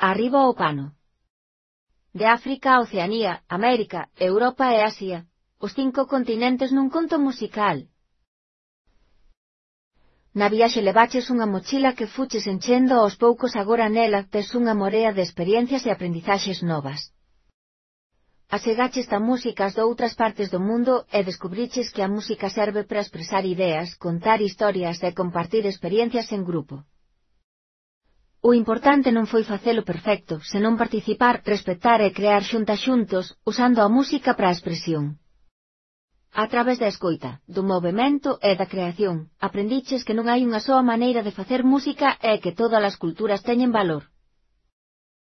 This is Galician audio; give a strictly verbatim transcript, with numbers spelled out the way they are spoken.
arriba ao pano. De África a Oceanía, América, Europa e Asia, os cinco continentes nun conto musical. Na viaxe levaches unha mochila que fuches enchendo aos poucos agora nela tes unha morea de experiencias e aprendizaxes novas. Asegaches a músicas de outras partes do mundo e descubriches que a música serve para expresar ideas, contar historias e compartir experiencias en grupo. O importante non foi facelo perfecto, senón participar, respetar e crear xuntas xuntos, usando a música para a expresión. A través da escoita, do movemento e da creación, aprendiches que non hai unha soa maneira de facer música e que todas as culturas teñen valor.